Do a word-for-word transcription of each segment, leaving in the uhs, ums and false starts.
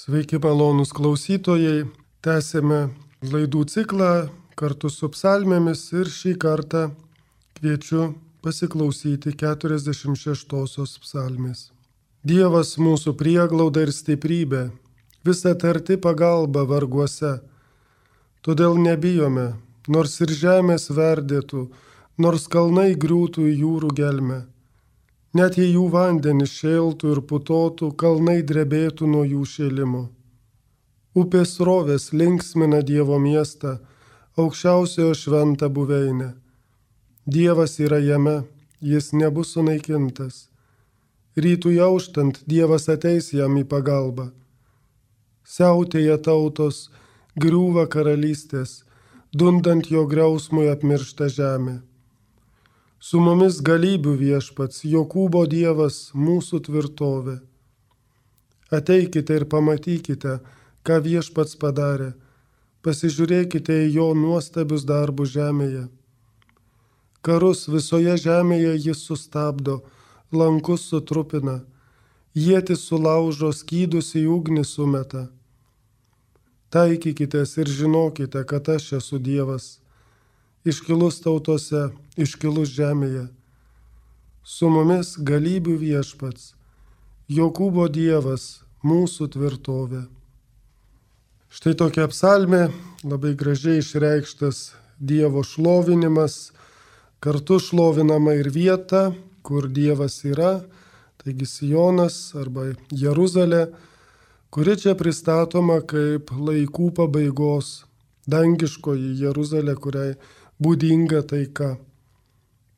Sveiki, malonūs klausytojai. Tęsėme laidų ciklą kartu su psalmėmis ir šį kartą kviečiu pasiklausyti keturiasdešimt šeštosios psalmės. Dievas mūsų prieglauda ir stiprybė, visa tarti pagalba varguose. Todėl nebijome, nors ir žemės verdėtų, nors kalnai griūtų į jūrų gelmę. Net jei jų vandenys šėltų ir putotų, kalnai drebėtų nuo jų šėlimo. Upės srovės linksmina Dievo miestą, aukščiausiojo šventą buveinę. Dievas yra jame, jis nebus sunaikintas. Rytui auštant Dievas ateis jam į pagalbą. Siautėja tautos, griūva karalystės, dundant jo griausmui apmiršta žemė. Su mumis galybių viešpats, Jokūbo Dievas, mūsų tvirtovė. Ateikite ir pamatykite, ką viešpats padarė. Pasižiūrėkite į jo nuostabius darbus žemėje. Karus visoje žemėje jis sustabdo, lankus sutrupina, ietis sulaužo, skydus į ugnį sumeta. Taikykitės ir žinokite, kad aš esu Dievas. Iškilus tautose, iškilus žemėje. Su mumis galybių viešpats, Jokūbo Dievas, mūsų tvirtovė. Štai tokia psalmė, labai gražiai išreikštas Dievo šlovinimas, kartu šlovinama ir vieta, kur Dievas yra, taigi Sionas arba Jeruzalė, kuri čia pristatoma kaip laikų pabaigos, dangiškoji Jeruzalė, kuriai būdinga taika.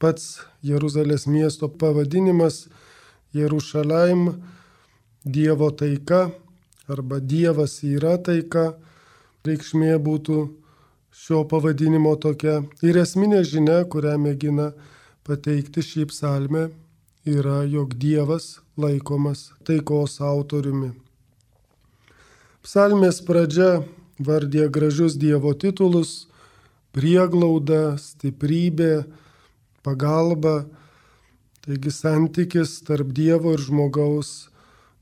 Pats Jeruzalės miesto pavadinimas Jerušalaim, Dievo taika arba Dievas yra taika, reikšmė būtų šio pavadinimo tokia. Ir esminė žinia, kurią mėgina pateikti šį psalmę, yra, jog Dievas laikomas taikos autoriumi. Psalmės pradžia vardė gražius Dievo titulus: prieglauda, stiprybė, pagalba. Taigi santykis tarp Dievo ir žmogaus,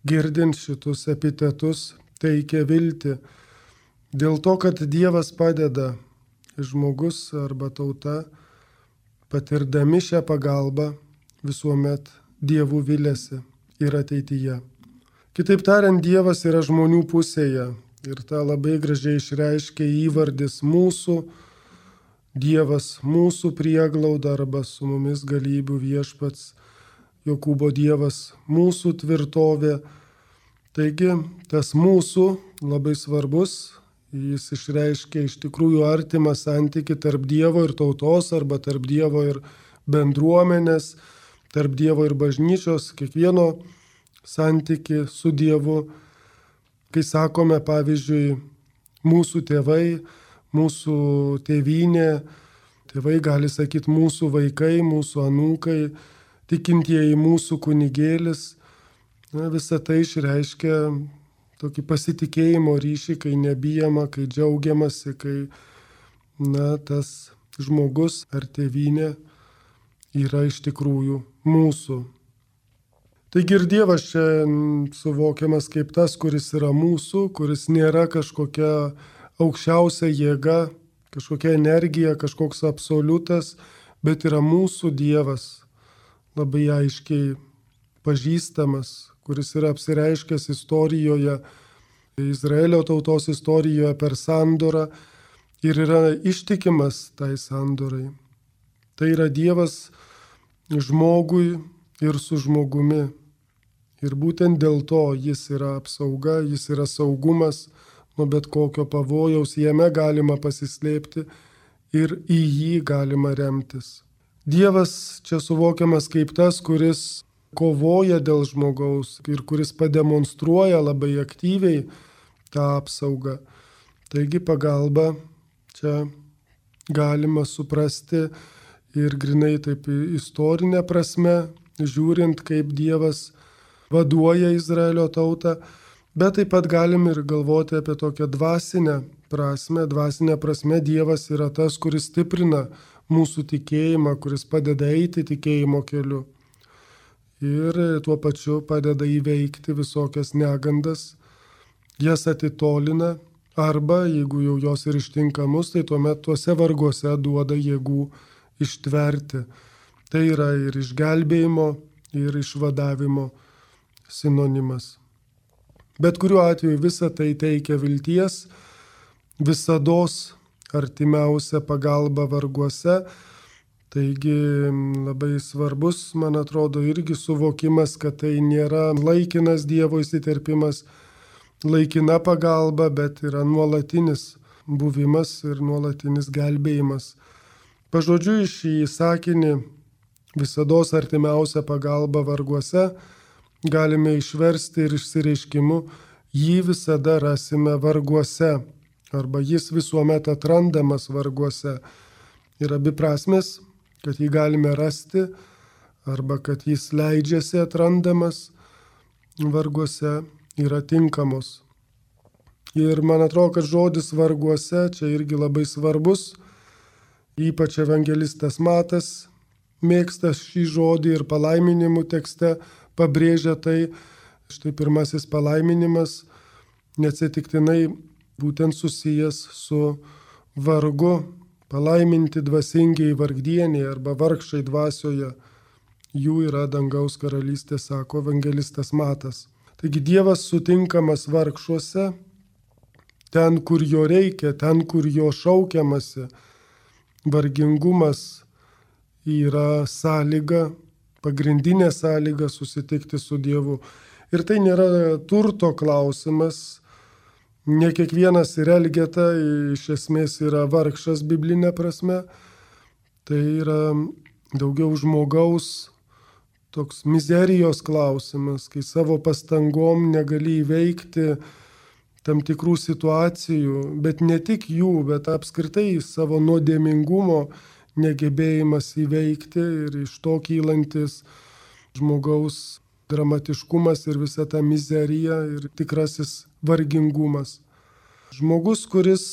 girdint šitus epitetus, teikia viltį. Dėl to, kad Dievas padeda, žmogus arba tauta, patirdami šią pagalbą, visuomet Dievu viliasi ir ateityje. Kitaip tariant, Dievas yra žmonių pusėje ir tą labai gražiai išreiškia įvardis mūsų. Dievas mūsų prieglauda arba su mumis galybių viešpats, Jokūbo Dievas mūsų tvirtovė. Taigi tas mūsų labai svarbus, jis išreiškia iš tikrųjų artimą santykį tarp Dievo ir tautos arba tarp Dievo ir bendruomenės, tarp Dievo ir bažnyčios, kiekvieno santykį su Dievu. Kai sakome, pavyzdžiui, mūsų tėvai, mūsų tėvynė, tėvai gali sakyti mūsų vaikai, mūsų anūkai, tikintieji mūsų kunigėlis. Na, visa tai išreiškia tokį pasitikėjimo ryšį, kai nebijama, kai džiaugiamasi, kai na, tas žmogus ar tėvynė yra iš tikrųjų mūsų. Taigi ir Dievas čia suvokiamas kaip tas, kuris yra mūsų, kuris nėra kažkokia aukščiausia jėga, kažkokia energija, kažkoks absoliutas, bet yra mūsų Dievas, labai aiškiai pažįstamas, kuris yra apsireiškęs istorijoje, Izraelio tautos istorijoje per sandorą ir yra ištikimas tai sandorai. Tai yra Dievas žmogui ir su žmogumi. Ir būtent dėl to jis yra apsauga, jis yra saugumas nuo bet kokio pavojaus, jame galima pasislėpti ir į jį galima remtis. Dievas čia suvokiamas kaip tas, kuris kovoja dėl žmogaus ir kuris pademonstruoja labai aktyviai tą apsaugą. Taigi pagalba čia galima suprasti ir grinai taip istorinė prasme, žiūrint, kaip Dievas vaduoja Izraelio tautą, bet taip pat galim ir galvoti apie tokią dvasinę prasme. Dvasinė prasme Dievas yra tas, kuris stiprina mūsų tikėjimą, kuris padeda eiti tikėjimo keliu. Ir tuo pačiu padeda įveikti visokias negandas jas atitolina, arba jeigu jau jos ir ištinka mus, tai tuomet tuose varguose duoda jėgų ištverti. Tai yra ir išgelbėjimo, ir išvadavimo sinonimas. Bet kuriuo atveju visa tai teikia vilties, visados artimiausia pagalba varguose. Taigi labai svarbus, man atrodo, irgi suvokimas, kad tai nėra laikinas Dievo įsiterpimas, laikina pagalba, bet yra nuolatinis buvimas ir nuolatinis gelbėjimas. Pažodžiui šį sakinį visados artimiausia pagalba varguose galime išversti ir išsireiškimu jį visada rasime varguose, arba jis visuomet atrandamas varguose. Ir abi prasmės, kad jį galime rasti, arba kad jis leidžiasi atrandamas varguose, yra tinkamos. Ir man atrodo, kad žodis varguose čia irgi labai svarbus, ypač evangelistas Matas mėgsta šį žodį ir palaiminimų tekste pabrėžia tai. Štai pirmasis palaiminimas neatsitiktinai būtent susijęs su vargu. Palaiminti dvasingiai vargdieniai arba vargšai dvasioje, jų yra dangaus karalystė, sako evangelistas Matas. Taigi Dievas sutinkamas vargšuose, ten, kur jo reikia, ten, kur jo šaukiamasi. Vargingumas yra sąlyga, pagrindinė sąlyga susitikti su Dievu. Ir tai nėra turto klausimas. Ne kiekvienas ir Elgeta iš esmės yra vargšas biblinė prasme. Tai yra daugiau žmogaus toks mizerijos klausimas, kai savo pastangom negali įveikti tam tikrų situacijų, bet ne tik jų, bet apskritai savo nuodėmingumo negebėjimas įveikti ir iš to kylantis žmogaus dramatiškumas ir visa ta mizerija ir tikrasis vargingumas. Žmogus, kuris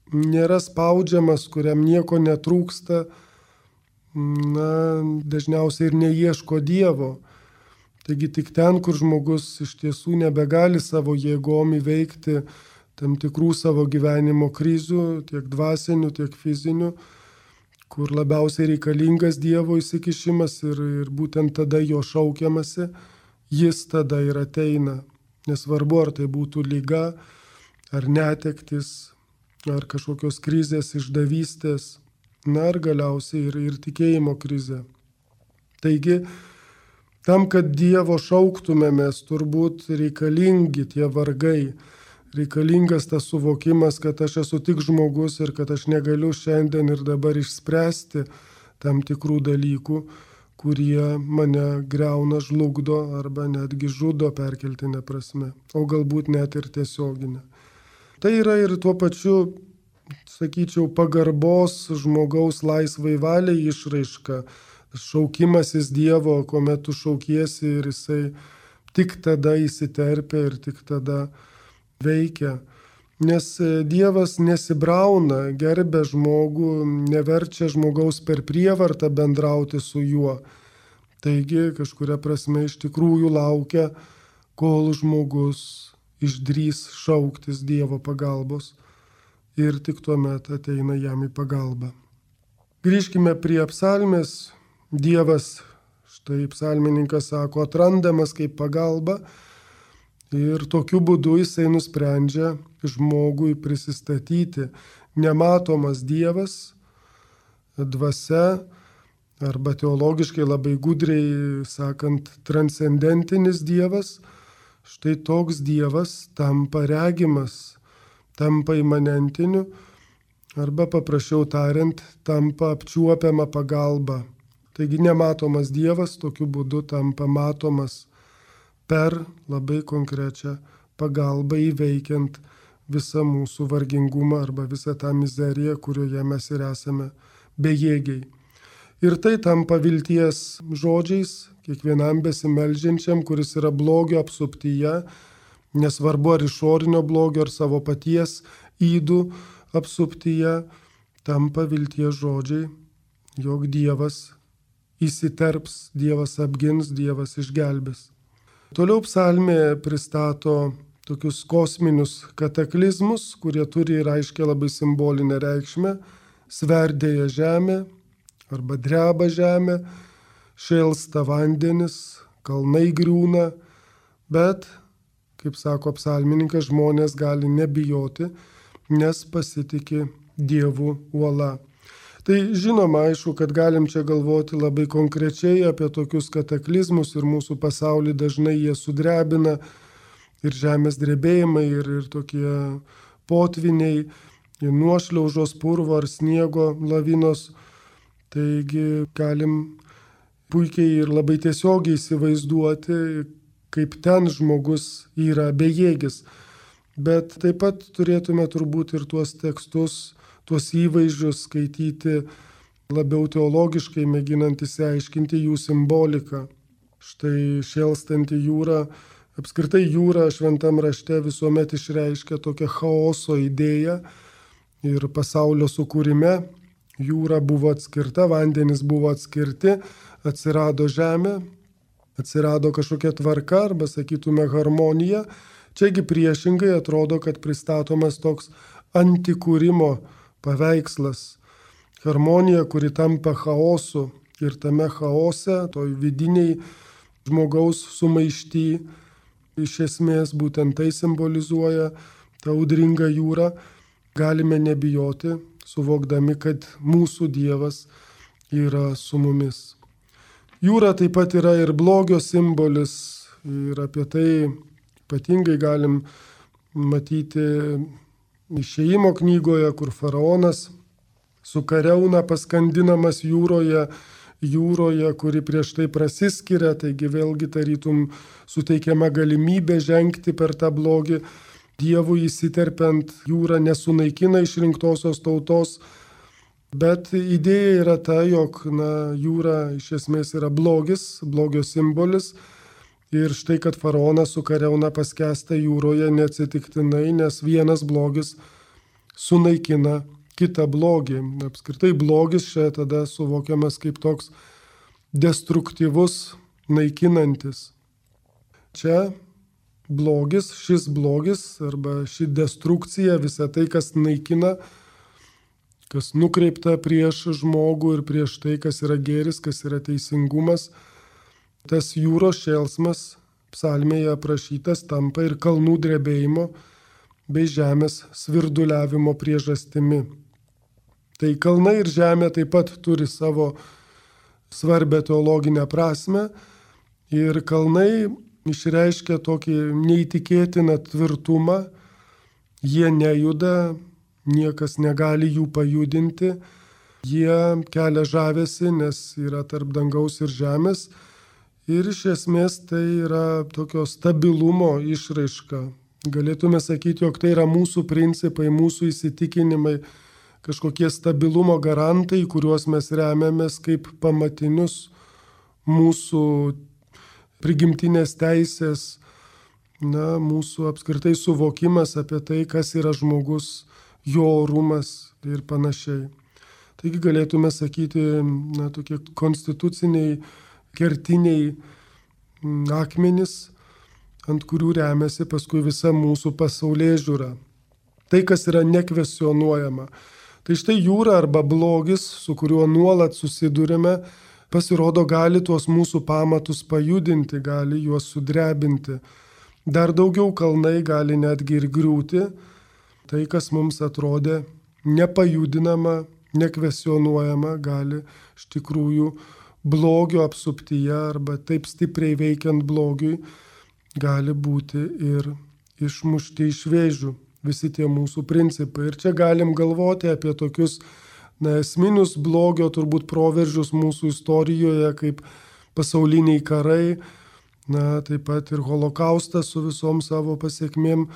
nėra spaudžiamas, kuriam nieko netrūksta, na, dažniausiai ir neieško Dievo. Taigi tik ten, kur žmogus iš tiesų nebegali savo jėgom įveikti tam tikrų savo gyvenimo krizių, tiek dvasinių, tiek fizinių, kur labiausiai reikalingas Dievo įsikišimas ir, ir būtent tada jo šaukiamasi, jis tada ir ateina. Nesvarbu, ar tai būtų liga, ar netektis, ar kažkokios krizės, išdavystės, na ir galiausiai ir, ir tikėjimo krizė. Taigi, tam, kad Dievo šauktumėmės, turbūt reikalingi tie vargai, reikalingas tas suvokimas, kad aš esu tik žmogus ir kad aš negaliu šiandien ir dabar išspręsti tam tikrų dalykų, kurie mane greuna, žlugdo arba netgi žudo perkeltinė prasme, o galbūt net ir tiesioginė. Tai yra ir tuo pačiu, sakyčiau, pagarbos žmogaus laisvai valiai išraiška, šaukimasis Dievo, kuomet tu šaukiesi ir jisai tik tada įsiterpia ir tik tada veikia. Nes Dievas nesibrauna, gerbia žmogų, neverčia žmogaus per prievartą bendrauti su juo. Taigi kažkuria prasme iš tikrųjų laukia, kol žmogus išdrys šauktis Dievo pagalbos ir tik tuomet ateina jam į pagalbą. Grįžkime prie psalmės. Dievas, štai psalmininkas sako, atrandamas kaip pagalba ir tokiu būdu jisai nusprendžia žmogui prisistatyti. Nematomas Dievas, dvasia, arba teologiškai labai gudriai sakant, transcendentinis Dievas, štai toks Dievas tampa regimas, tampa imanentiniu, arba paprasčiau tariant, tampa apčiuopiama pagalba. Taigi nematomas Dievas tokiu būdu tampa matomas per labai konkrečią pagalbą įveikiant visą mūsų vargingumą arba visą tą mizeriją, kurioje mes ir esame bejėgiai. Ir tai tampa vilties žodžiais kiekvienam besimeldžiančiam, kuris yra blogio apsuptyje, nesvarbu ar išorinio blogio, ar savo paties ydų apsuptyje, tampa vilties žodžiai, jog Dievas įsiterps, Dievas apgins, Dievas išgelbės. Toliau psalmė pristato tokius kosminius kataklizmus, kurie turi ir aiškiai labai simbolinę reikšmę. Sverdėja žemė arba dreba žemė, šėlsta vandenis, kalnai griūna, bet, kaip sako psalmininkas, žmonės gali nebijoti, nes pasitiki Dievu uola. Tai žinoma, aišku, kad galim čia galvoti labai konkrečiai apie tokius kataklizmus ir mūsų pasaulį dažnai jie sudrebina ir žemės drebėjimai, ir, ir tokie potviniai, ir nuošliaužos, purvo ar sniego lavinos. Taigi galim puikiai ir labai tiesiogiai įsivaizduoti, kaip ten žmogus yra bejėgis. Bet taip pat turėtume turbūt ir tuos tekstus, tuos įvaizdžius skaityti labiau teologiškai, mėginant įsiaiškinti jų simboliką. Štai šėlstanti jūra, apskritai jūra šventam rašte visuomet išreiškia tokią chaoso idėją ir pasaulio sukūrime. Jūra buvo atskirta, vandenys buvo atskirti, atsirado žemė, atsirado kažkokia tvarka arba, sakytume, harmonija. Čiagi priešingai atrodo, kad pristatomas toks antikūrimo paveikslas. Harmonija, kuri tampa chaosu, ir tame chaose, toj vidiniai žmogaus sumaišty, iš esmės būtent tai simbolizuoja tą audringą jūrą. Galime nebijoti, suvokdami, kad mūsų Dievas yra su mumis. Jūra taip pat yra ir blogio simbolis, ir apie tai ypatingai galim matyti Išėjimo knygoje, kur faraonas su kariauna paskandinamas jūroje, jūroje, kuri prieš tai prasiskiria, taigi vėlgi tarytum suteikiama galimybė žengti per tą blogį. Dievui įsiterpiant, jūra nesunaikina išrinktosios tautos, bet idėja yra ta, jog na, jūra iš esmės yra blogis, blogio simbolis. Ir štai, kad faraonas su kariauna paskęsta jūroje neatsitiktinai, nes vienas blogis sunaikina kitą blogį. Apskritai blogis čia tada suvokiamas kaip toks destruktyvus, naikinantis. Čia blogis, šis blogis arba ši destrukcija, visa tai, kas naikina, kas nukreipta prieš žmogų ir prieš tai, kas yra gėris, kas yra teisingumas, tas jūros šėlsmas psalmėje aprašytas tampa ir kalnų drebėjimo bei žemės svirduliavimo priežastimi. Tai kalnai ir žemė taip pat turi savo svarbę teologinę prasme ir kalnai išreiškia tokį neįtikėtiną tvirtumą, jie nejuda, niekas negali jų pajudinti, jie kelia žavesį, nes yra tarp dangaus ir žemės. Ir iš esmės tai yra tokio stabilumo išraiška. Galėtume sakyti, jog tai yra mūsų principai, mūsų įsitikinimai, kažkokie stabilumo garantai, kuriuos mes remiamės kaip pamatinius mūsų prigimtinės teisės, na, mūsų apskritai suvokimas apie tai, kas yra žmogus, jo orumas ir panašiai. Taigi galėtume sakyti, na, tokie konstituciniai kertiniai akmenys, ant kurių remiasi paskui visa mūsų pasaulėžiūra. Tai, kas yra nekvestionuojama. Tai štai jūra arba blogis, su kuriuo nuolat susidurime, pasirodo gali tuos mūsų pamatus pajudinti, gali juos sudrebinti. Dar daugiau kalnai gali netgi ir griūti. Tai, kas mums atrodė nepajudinama, nekvestionuojama, gali iš tikrųjų blogio apsuptyje arba taip stipriai veikiant blogiui gali būti ir išmušti iš vėžių visi tie mūsų principai. Ir čia galim galvoti apie tokius na, esminius blogio turbūt proveržius mūsų istorijoje, kaip pasauliniai karai, na, taip pat ir holokaustas su visom savo pasiekmėm.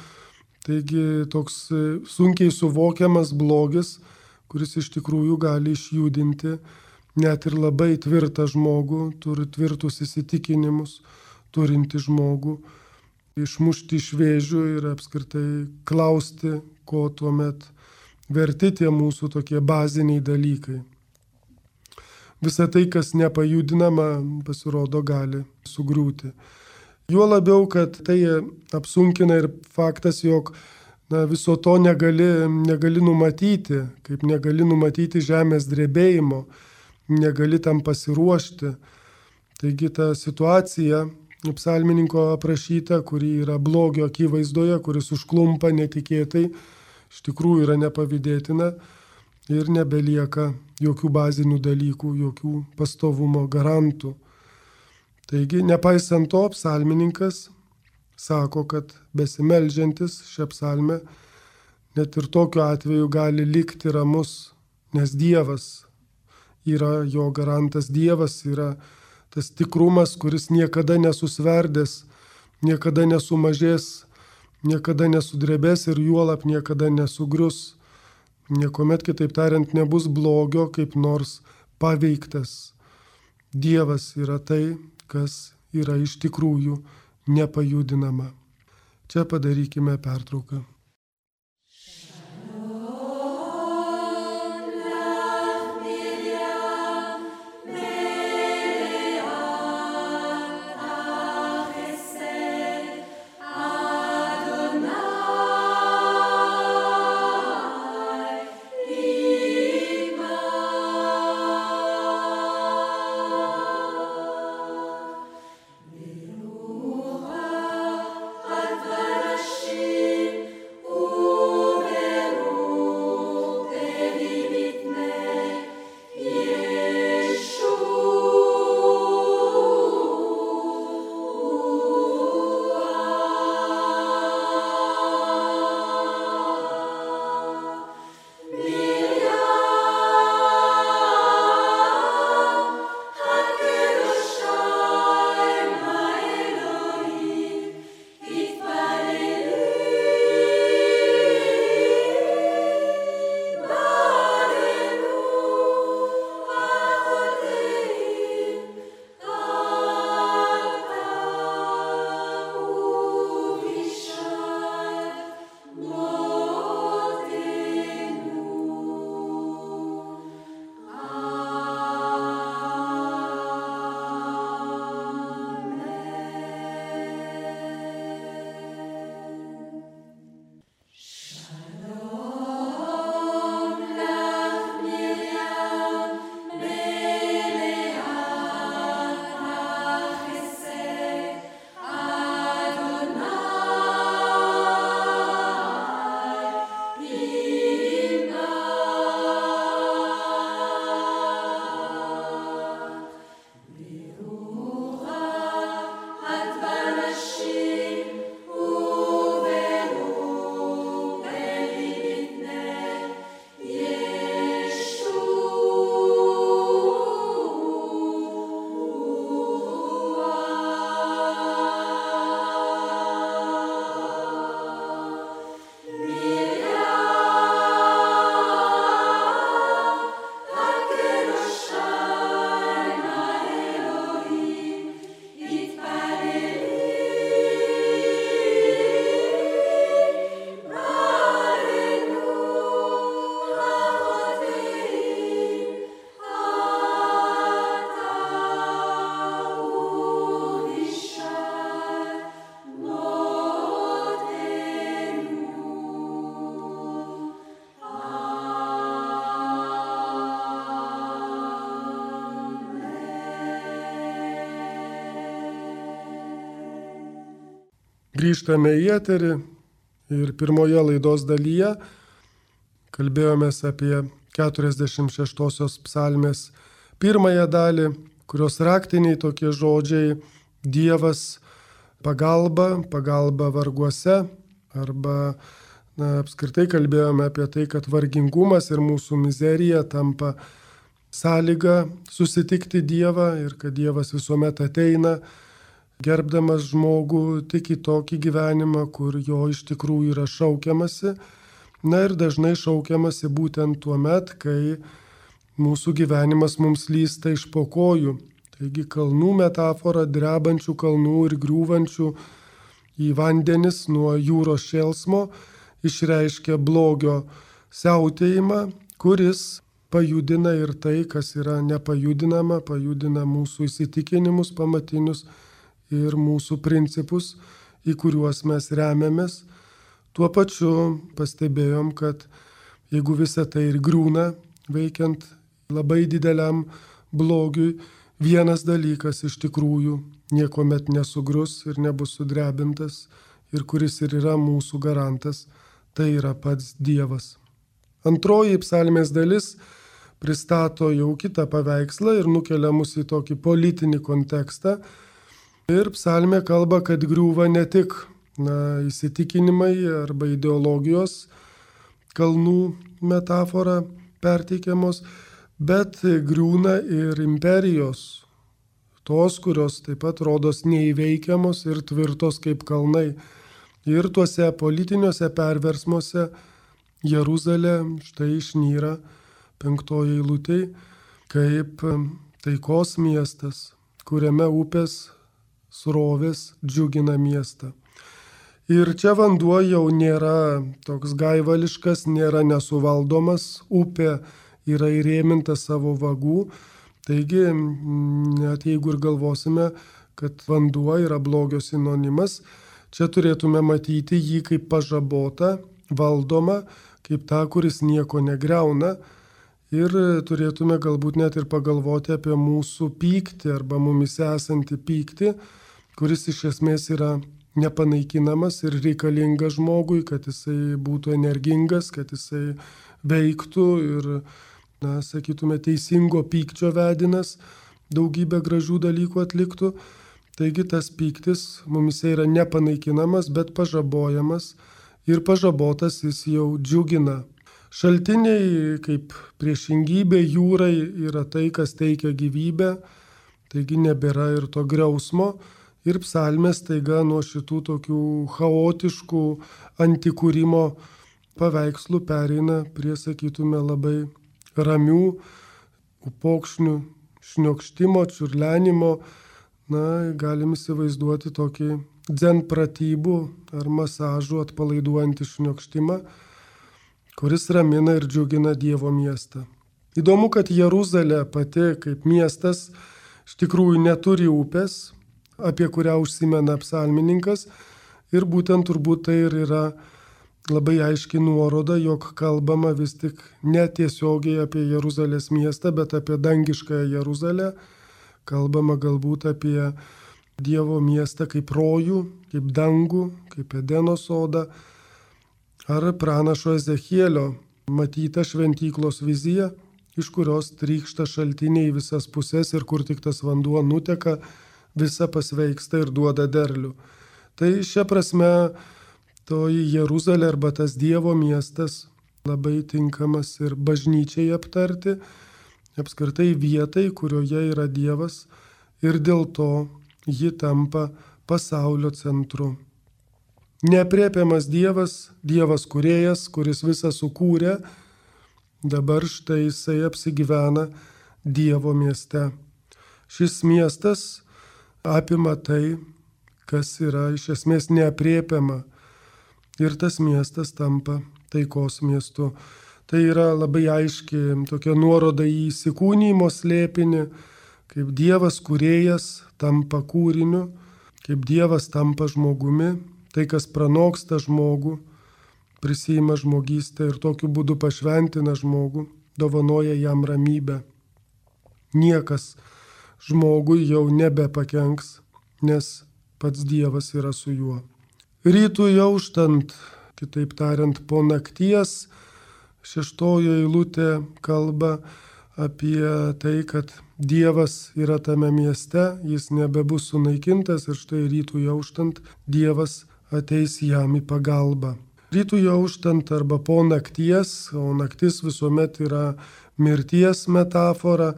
Taigi toks sunkiai suvokiamas blogis, kuris iš tikrųjų gali išjudinti net ir labai tvirtą žmogų, turi tvirtus įsitikinimus, turinti žmogų, išmušti iš vėžių ir apskritai klausti, ko tuomet verti tie mūsų tokie baziniai dalykai. Visa tai, kas nepajudinama, pasirodo, gali sugriūti. Juo labiau, kad tai apsunkina ir faktas, jog na, viso to negali, negali numatyti, kaip negali numatyti žemės drebėjimo, negali tam pasiruošti. Taigi ta situacija psalmininko aprašyta, kuri yra blogio akivaizdoje, kuris užklumpa netikėtai, iš tikrųjų yra nepavydėtina ir nebelieka jokių bazinių dalykų, jokių pastovumo garantų. Taigi, nepaisant to, psalmininkas sako, kad besimeldžiantis šią psalmę net ir tokiu atveju gali likti ramus, nes Dievas yra jo garantas, Dievas yra tas tikrumas, kuris niekada nesusverdės, niekada nesumažės, niekada nesudrebės ir juolap niekada nesugrius. Niekuomet, kitaip tariant, nebus blogio kaip nors paveiktas. Dievas yra tai, kas yra iš tikrųjų nepajudinama. Čia padarykime pertrauką. Grįžtame į eterį ir pirmoje laidos dalyje kalbėjomės apie keturiasdešimt šeštosios psalmės pirmąją dalį, kurios raktiniai tokie žodžiai Dievas pagalba, pagalba varguose, arba na, apskritai kalbėjome apie tai, kad vargingumas ir mūsų mizerija tampa sąlyga susitikti Dievą ir kad Dievas visuomet ateina, gerbdamas žmogų tik į tokį gyvenimą, kur jo iš tikrųjų yra šaukiamasi. Na ir dažnai šaukiamasi būtent tuo met, kai mūsų gyvenimas mums lysta iš po kojų. Taigi kalnų metafora, drebančių kalnų ir griūvančių į vandenis nuo jūros šėlsmo išreiškia blogio siautėjimą, kuris pajudina ir tai, kas yra nepajudinama, pajudina mūsų įsitikinimus pamatinius ir mūsų principus, į kuriuos mes remiamės. Tuo pačiu pastebėjom, kad jeigu visa tai ir griūna, veikiant labai dideliam blogiui, vienas dalykas iš tikrųjų niekuomet nesugrius ir nebus sudrebintas, ir kuris ir yra mūsų garantas, tai yra pats Dievas. Antroji psalmės dalis pristato jau kitą paveikslą ir nukelia mus į tokį politinį kontekstą. Ir psalmė kalba, kad griūva ne tik na, įsitikinimai arba ideologijos, kalnų metafora perteikiamos, bet griūna ir imperijos, tos, kurios taip pat rodos neįveikiamos ir tvirtos kaip kalnai. Ir tuose politiniuose perversmuose Jeruzalė štai išnyra penktoji eilutėj kaip taikos miestas, kuriame upės srovės džiugina miestą. Ir čia vanduo jau nėra toks gaivališkas, nėra nesuvaldomas, upė yra įrėminta savo vagų. Taigi, net jeigu ir galvosime, kad vanduo yra blogio sinonimas, čia turėtume matyti jį kaip pažabotą, valdomą, kaip tą, kuris nieko negriauna. Ir turėtume galbūt net ir pagalvoti apie mūsų pyktį arba mumise esantį pyktį, kuris iš esmės yra nepanaikinamas ir reikalingas žmogui, kad jisai būtų energingas, kad jisai veiktų ir, na, sakytume, teisingo pykčio vedinas, daugybę gražių dalykų atliktų. Taigi tas pyktis mumise yra nepanaikinamas, bet pažabojamas ir pažabotas jis jau džiugina. Šaltiniai kaip priešingybė jūrai yra tai, kas teikia gyvybę, taigi nebėra ir to griausmo. Ir psalmės taiga nuo šitų tokių chaotiškų antikūrimo paveikslų pereina prie, sakytume, labai ramių upokšnių šniokštimo, čiurlenimo. Na, galim įsivaizduoti tokį dzen pratybų ar masažų atpalaiduojantį šniokštimą, kuris ramina ir džiugina Dievo miestą. Įdomu, kad Jeruzalė pati kaip miestas iš tikrųjų neturi upės, apie kurią užsimena psalmininkas, ir būtent turbūt tai ir yra labai aiški nuoroda, jog kalbama vis tik netiesiogiai apie Jeruzalės miestą, bet apie dangiškąją Jeruzalę, kalbama galbūt apie Dievo miestą kaip rojų, kaip dangų, kaip Edeno sodą, ar pranašo Ezechielio matyta šventyklos vizija, iš kurios trykšta šaltiniai į visas puses ir kur tik tas vanduo nuteka, visa pasveiksta ir duoda derlių. Tai šia prasme toji Jeruzalė arba tas Dievo miestas labai tinkamas ir bažnyčiai aptarti, apskritai vietai, kurioje yra Dievas, ir dėl to ji tampa pasaulio centru. Neaprėpiamas Dievas, Dievas kūrėjas, kuris visą sukūrė, dabar štai jisai apsigyvena Dievo mieste. Šis miestas apima tai, kas yra iš esmės neaprėpiama, ir tas miestas tampa taikos miestu. Tai yra labai aiški tokia nuoroda į įsikūnijimo slėpinį, kaip Dievas kūrėjas tampa kūriniu, kaip Dievas tampa žmogumi, tai kas pranoksta žmogų, prisima žmogystę ir tokiu būdu pašventina žmogų, dovanoja jam ramybę. Niekas žmogui jau nebepakenks, nes pats Dievas yra su juo. Rytui auštant, kitaip tariant, po nakties, šeštojo eilutė kalba apie tai, kad Dievas yra tame mieste, jis nebebus sunaikintas ir štai rytui auštant Dievas ateis jam į pagalbą. Rytui auštant arba po nakties, o naktis visuomet yra mirties metafora,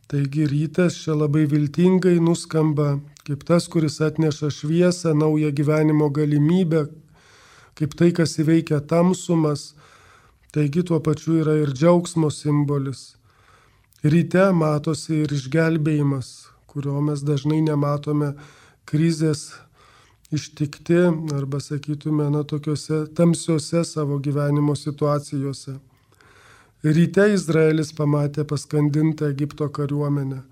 taigi rytas čia labai viltingai nuskamba kaip tas, kuris atneša šviesą, naują gyvenimo galimybę, kaip tai, kas įveikia tamsumas, taigi tuo pačiu yra ir džiaugsmo simbolis. Ryte matosi ir išgelbėjimas, kurio mes dažnai nematome krizės ištikti arba, sakytume, na, tokiuose tamsiuose savo gyvenimo situacijose. Ryte Izraelis pamatė paskandintą Egipto kariuomenę.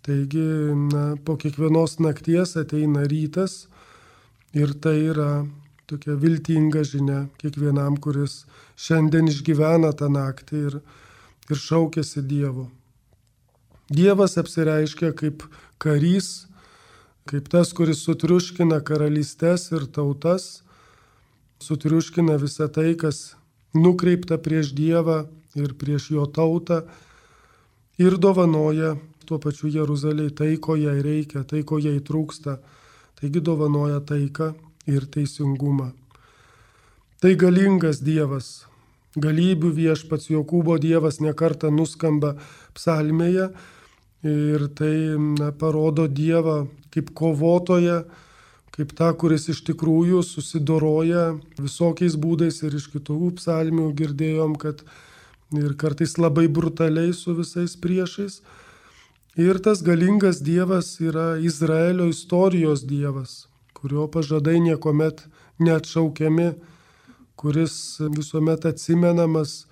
Taigi, na, po kiekvienos nakties ateina rytas ir tai yra tokia viltinga žinia kiekvienam, kuris šiandien išgyvena tą naktį ir, ir šaukiasi Dievo. Dievas apsireiškia kaip karys, kaip tas, kuris sutriuškina karalystes ir tautas, sutriuškina visą tai, kas nukreipta prieš Dievą ir prieš jo tautą ir dovanoja tuo pačiu Jeruzalei tai, ko jai reikia, tai, ko jai trūksta. Taigi dovanoja taiką ir teisingumą. Tai galingas Dievas, galybių viešpats Jokūbo Dievas nekartą nuskamba psalmėje ir tai na, parodo Dievą kaip kovotoją, kaip tą, kuris iš tikrųjų susidoroja visokiais būdais ir iš kitų psalmių girdėjom, kad ir kartais labai brutaliai su visais priešais. Ir tas galingas Dievas yra Izraelio istorijos Dievas, kurio pažadai niekuomet neatšaukiami, kuris visuomet atsimenamas,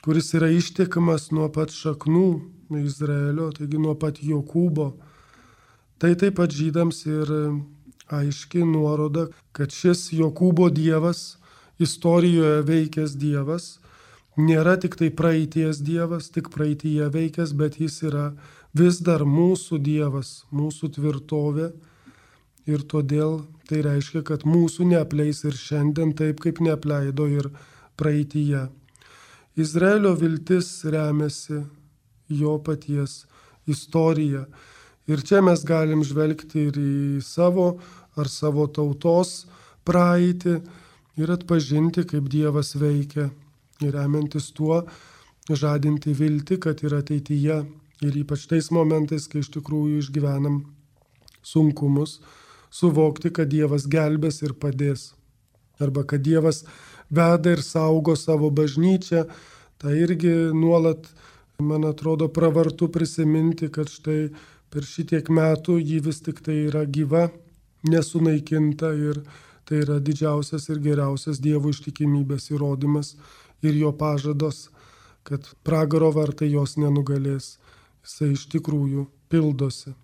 kuris yra ištikimas nuo pat šaknų Izraelio, taigi nuo pat Jokūbo. Tai taip pat žydams ir aiški nuoroda, kad šis Jokūbo Dievas, istorijoje veikęs Dievas, nėra tik tai praeities Dievas, tik praeityje veikęs, bet jis yra vis dar mūsų Dievas, mūsų tvirtovė ir todėl tai reiškia, kad mūsų neapleis ir šiandien taip, kaip neapleido ir praeityje. Izraelio viltis remiasi jo paties istoriją ir čia mes galim žvelgti ir į savo ar savo tautos praeitį ir atpažinti, kaip Dievas veikia ir remiantis tuo žadinti viltį, kad ir ateityje ir ypač tais momentais, kai iš tikrųjų išgyvenam sunkumus, suvokti, kad Dievas gelbės ir padės. Arba kad Dievas veda ir saugo savo bažnyčią. Tai irgi nuolat, man atrodo, pravartu prisiminti, kad štai per šitiek metų ji vis tik tai yra gyva, nesunaikinta ir tai yra didžiausias ir geriausias Dievo ištikimybės įrodymas ir jo pažados, kad pragaro vartai jos nenugalės. Jisai iš tikrųjų pildosi.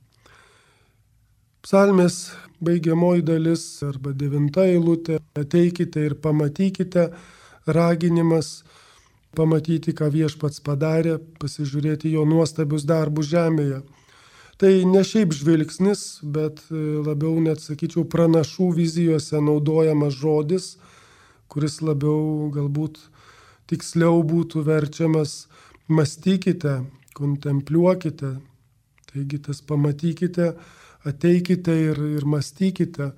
Psalmės baigiamoji dalis arba devinta eilutė, ateikite ir pamatykite, raginimas pamatyti, ką viešpats padarė, pasižiūrėti jo nuostabius darbus žemėje. Tai ne šiaip žvilgsnis, bet labiau net, sakyčiau, pranašų vizijose naudojamas žodis, kuris labiau galbūt tiksliau būtų verčiamas mąstykite, kontempliuokite, taigi tas pamatykite, ateikite ir, ir mąstykite,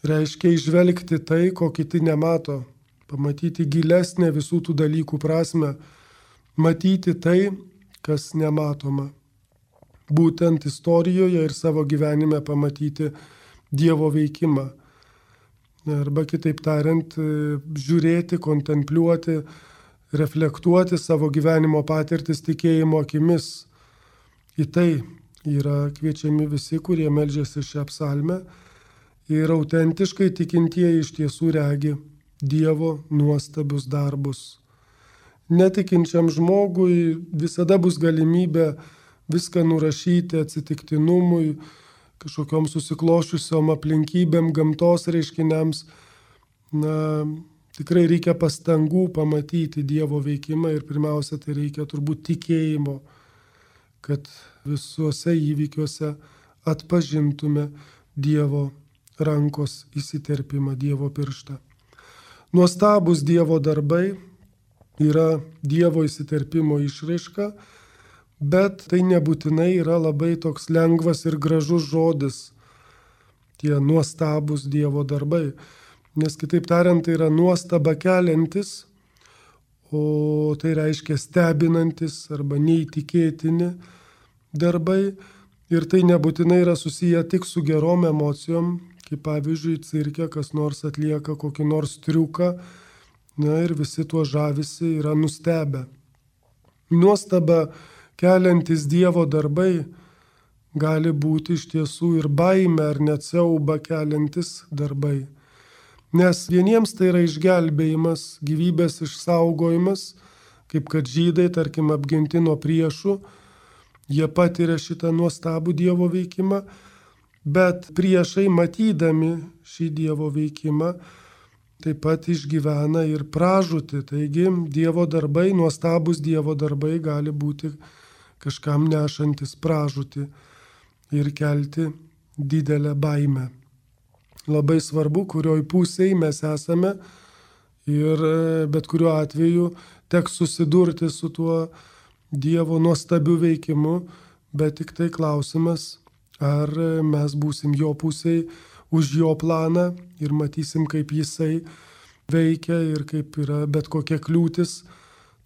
reiškia išvelgti tai, ko kiti nemato, pamatyti gilesnę visų tų dalykų prasme, matyti tai, kas nematoma. Būtent istorijoje ir savo gyvenime pamatyti Dievo veikimą. Arba kitaip tariant, žiūrėti, kontempliuoti, reflektuoti savo gyvenimo patirtis tikėjimo akimis. Į tai yra kviečiami visi, kurie meldžiasi šią psalmę ir autentiškai tikintieji iš tiesų regi Dievo nuostabius darbus. Netikinčiam žmogui visada bus galimybė viską nurašyti atsitiktinumui, kažkokiom susiklošiusiom aplinkybėm, gamtos reiškiniams. Na, tikrai reikia pastangų pamatyti Dievo veikimą ir pirmiausia, tai reikia turbūt tikėjimo, kad visuose įvykiuose atpažintume Dievo rankos įsiterpimą, Dievo pirštą. Nuostabus Dievo darbai yra Dievo įsiterpimo išraiška, bet tai nebūtinai yra labai toks lengvas ir gražus žodis, tie nuostabus Dievo darbai. Nes kitaip tariant, tai yra nuostaba keliantis, o tai reiškia stebinantis arba neįtikėtini darbai. Ir tai nebūtinai yra susiję tik su gerom emocijom, kaip pavyzdžiui, cirke kas nors atlieka kokį nors triuką, na ir visi tuo žavisi yra nustebę. Nuostaba keliantis Dievo darbai gali būti iš tiesų ir baimė ar net siaubą keliantis darbai. Nes vieniems tai yra išgelbėjimas, gyvybės išsaugojimas, kaip kad žydai, tarkim, apginti nuo priešų, jie patiria šitą nuostabų Dievo veikimą, bet priešai matydami šį Dievo veikimą taip pat išgyvena ir pražūtį. Taigi Dievo darbai, nuostabus Dievo darbai gali būti kažkam nešantis pražūtį ir kelti didelę baimę. Labai svarbu, kurioj pusėje mes esame ir bet kuriuo atveju teks susidurti su tuo Dievo nuostabiu veikimu, bet tik tai klausimas, ar mes būsim jo pusėje už jo planą ir matysim, kaip jisai veikia ir kaip yra bet kokia kliūtis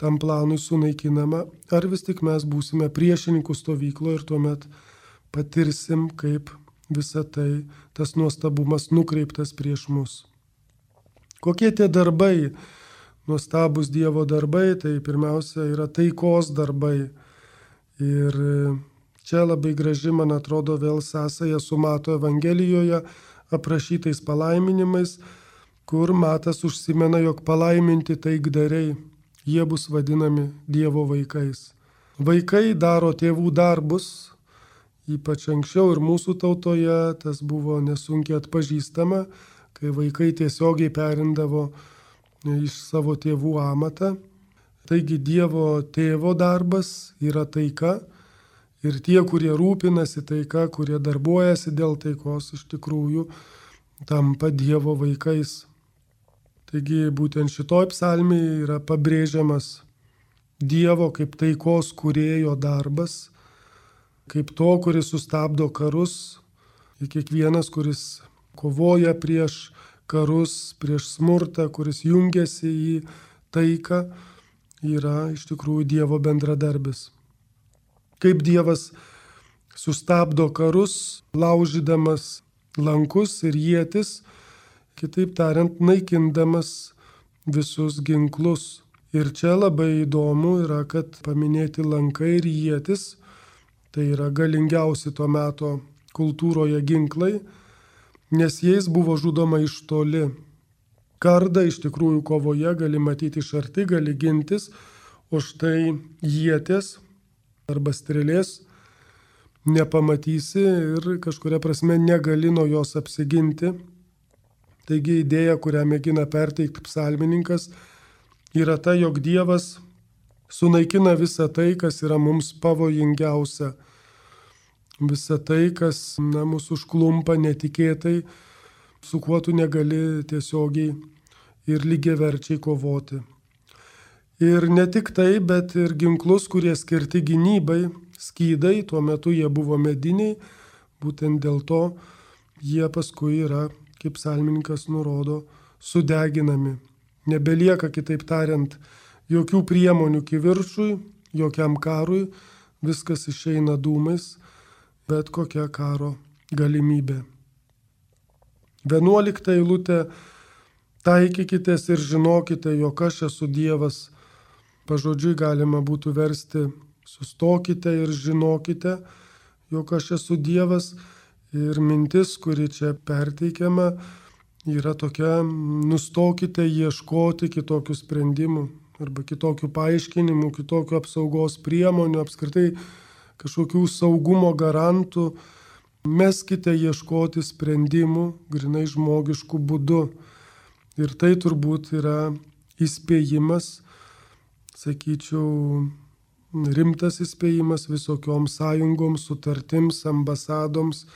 tam planui sunaikinama, ar vis tik mes būsime priešininkų stovykloje ir tuomet patirsim, kaip visa tai, tas nuostabumas nukreiptas prieš mus. Kokie tie darbai, nuostabus Dievo darbai, tai pirmiausia yra taikos darbai. Ir čia labai graži, man atrodo, vėl sąsaja su Mato Evangelijoje aprašytais palaiminimais, kur Matas užsimena, jog palaiminti taikdariai, jie bus vadinami Dievo vaikais. Vaikai daro tėvų darbus, ypač anksčiau ir mūsų tautoje tas buvo nesunkiai atpažįstama, kai vaikai tiesiogiai perindavo iš savo tėvų amatą. Taigi Dievo tėvo darbas yra taika ir tie, kurie rūpinasi taika, kurie darbuojasi dėl taikos, iš tikrųjų tampa Dievo vaikais. Taigi būtent šitoj psalmėje yra pabrėžiamas Dievo kaip taikos kūrėjo darbas, kaip to, kuris sustabdo karus, ir kiekvienas, kuris kovoja prieš karus, prieš smurtą, kuris jungiasi į taiką, yra iš tikrųjų Dievo bendradarbis. Kaip Dievas sustabdo karus, laužydamas lankus ir ietis, kitaip tariant, naikindamas visus ginklus. Ir čia labai įdomu yra, kad paminėti lankai ir ietis, tai yra galingiausi to meto kultūroje ginklai, nes jais buvo žudoma iš toli. Kardą iš tikrųjų kovoje gali matyti iš arti, gali gintis, o štai ieties arba strėlės nepamatysi ir kažkuria prasme negali nuo jos apsiginti. Taigi idėja, kurią mėgina perteikti psalmininkas, yra ta, jog Dievas sunaikina visą tai, kas yra mums pavojingiausia. Visą tai, kas na, mūsų užklumpa netikėtai, su kuo tu negali tiesiogiai ir lygiaverčiai kovoti. Ir ne tik tai, bet ir ginklus, kurie skirti gynybai, skydai, tuo metu jie buvo mediniai, būtent dėl to jie paskui yra, kaip psalmininkas nurodo, sudeginami. Nebelieka, kitaip tariant, jokių priemonių kivirčui, jokiam karui, viskas išeina dūmais, bet kokia karo galimybė. Vienuolikta eilutė: taikykitės ir žinokite, jog aš esu Dievas. Pažodžiui galima būtų versti: sustokite ir žinokite, jog aš esu Dievas. Ir mintis, kuri čia perteikiama, yra tokia: nustokite ieškoti kitokių sprendimų arba kitokių paaiškinimų, kitokių apsaugos priemonių, apskritai kažkokių saugumo garantų. Meskite ieškoti sprendimų grinai žmogiškų būdų. Ir tai turbūt yra įspėjimas, sakyčiau, rimtas įspėjimas visokioms sąjungoms, sutartims, ambasadoms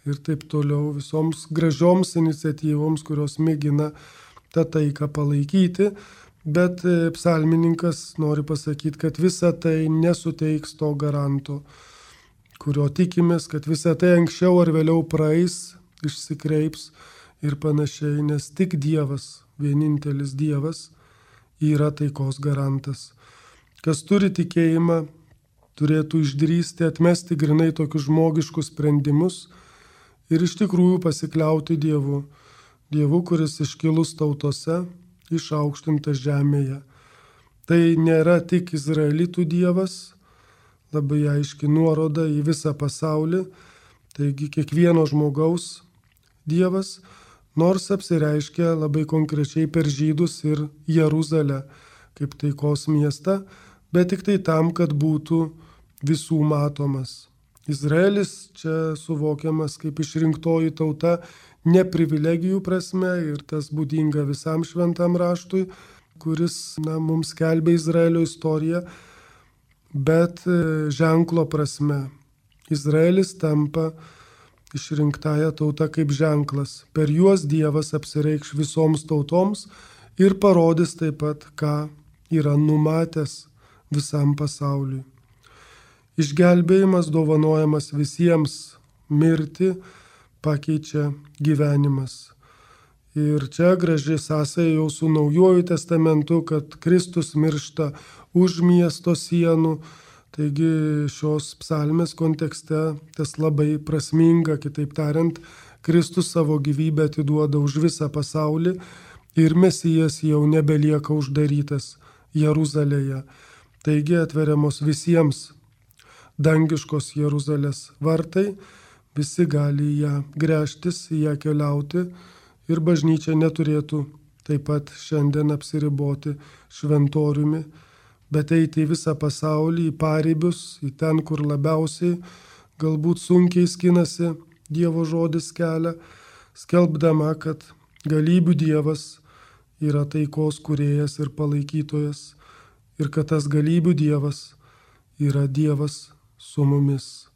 ir taip toliau, visoms gražioms iniciatyvoms, kurios mėgina tą taiką palaikyti. Bet psalmininkas nori pasakyti, kad visa tai nesuteiks to garanto, kurio tikimės, kad visa tai anksčiau ar vėliau praeis, išsikreips ir panašiai, nes tik Dievas, vienintelis Dievas, yra taikos garantas. Kas turi tikėjimą, turėtų išdrįsti atmesti grinai tokius žmogiškus sprendimus ir iš tikrųjų pasikliauti Dievu. Dievu, kuris iškilus tautose, išaukštintas žemėje. Tai nėra tik izraelitų Dievas, labai aiški nuoroda į visą pasaulį, taigi kiekvieno žmogaus Dievas, nors apsireiškia labai konkrečiai per žydus ir Jeruzalę kaip taikos miestą, bet tik tai tam, kad būtų visų matomas. Izraelis čia suvokiamas kaip išrinktoji tauta ne privilegijų prasme ir tas būdinga visam šventam raštui, kuris na, mums skelbia Izraelio istoriją, bet ženklo prasme. Izraelis tampa išrinktąją tautą kaip ženklas. Per juos Dievas apsireikš visoms tautoms ir parodys taip pat, ką yra numatęs visam pasauliui. Išgelbėjimas dovanojamas visiems, mirtį pakeičia gyvenimas. Ir čia graži sąsaja jau su Naujuoju testamentu, kad Kristus miršta už miesto sienų. Taigi šios psalmės kontekste tas labai prasminga, kitaip tariant, Kristus savo gyvybę atiduoda už visą pasaulį ir Mesijas jau nebelieka uždarytas Jeruzalėje. Taigi atveriamos visiems dangiškos Jeruzalės vartai, visi gali į ją gręžtis, į ją keliauti ir bažnyčia neturėtų taip pat šiandien apsiriboti šventoriumi, bet eiti į visą pasaulį, į paribius, į ten, kur labiausiai galbūt sunkiai skinasi Dievo žodis kelią, skelbdama, kad galybių Dievas yra taikos kūrėjas ir palaikytojas ir kad tas galybių Dievas yra Dievas su mumis.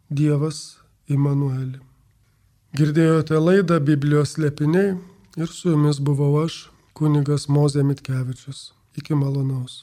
Dievas Imanueli. Girdėjote laidą Biblijos slėpiniai ir su jumis buvau aš, kunigas Mozė Mitkevičius. Iki malonaus.